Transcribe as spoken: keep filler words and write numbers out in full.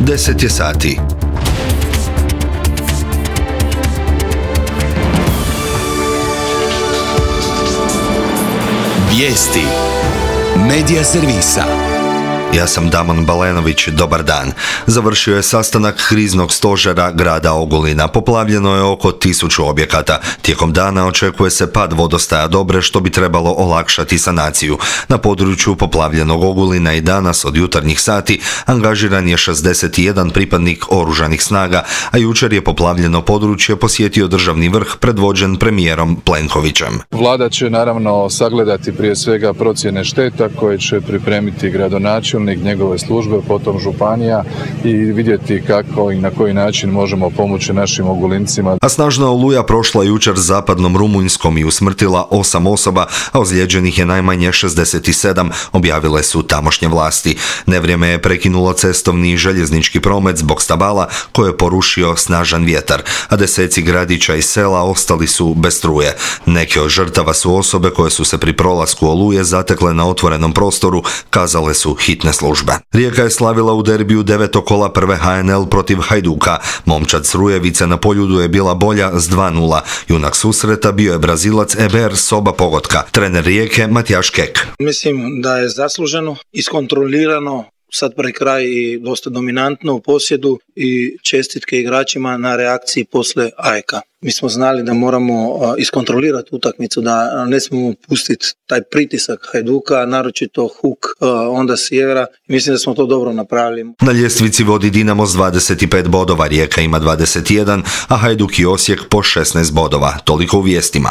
deset je sati. Vijesti Medija servisa. Ja sam Damon Balenović, dobar dan. Završio je sastanak kriznog stožera grada Ogulina. Poplavljeno je oko tisuću objekata. Tijekom dana očekuje se pad vodostaja Dobre, što bi trebalo olakšati sanaciju. Na području poplavljenog Ogulina i danas od jutarnjih sati angažiran je šezdeset jedan pripadnik oružanih snaga, a jučer je poplavljeno područje posjetio državni vrh predvođen premijerom Plenkovićem. Vlada će naravno sagledati prije svega procjene šteta koje će pripremiti gradonačelnik, njegove službe, potom županija i vidjeti kako i na koji način možemo pomoći našim Ogulincima. A snažna oluja prošla jučer zapadnom Rumunjskom i usmrtila osam osoba, a ozlijeđenih je najmanje šezdeset sedam, objavile su tamošnje vlasti. Nevrijeme je prekinulo cestovni i željeznički promet zbog stabala koje je porušio snažan vjetar, a deseci gradića i sela ostali su bez struje. Neke od žrtava su osobe koje su se pri prolasku oluje zatekle na otvorenom prostoru, kazale su hitne službe. Rijeka je slavila u derbiju devetog kola prve ha en el protiv Hajduka. Momčad s Rujevice na Poljudu je bila bolja s dva nula. Junak susreta bio je Brazilac Eber Soba Pogotka. Trener Rijeke Matijaš Kek. Mislim da je zasluženo, iskontrolirano, sad pre kraj i dosta dominantno u posjedu i čestitke igračima na reakciji posle Ajeka. Mi smo znali da moramo iskontrolirati utakmicu, da ne smemo pustiti taj pritisak Hajduka, naročito Huk, onda Sjevera. Mislim da smo to dobro napravili. Na ljestvici vodi Dinamo s dvadeset pet bodova, Rijeka ima dvadeset jedan, a Hajduk i Osijek po šesnaest bodova. Toliko u vijestima.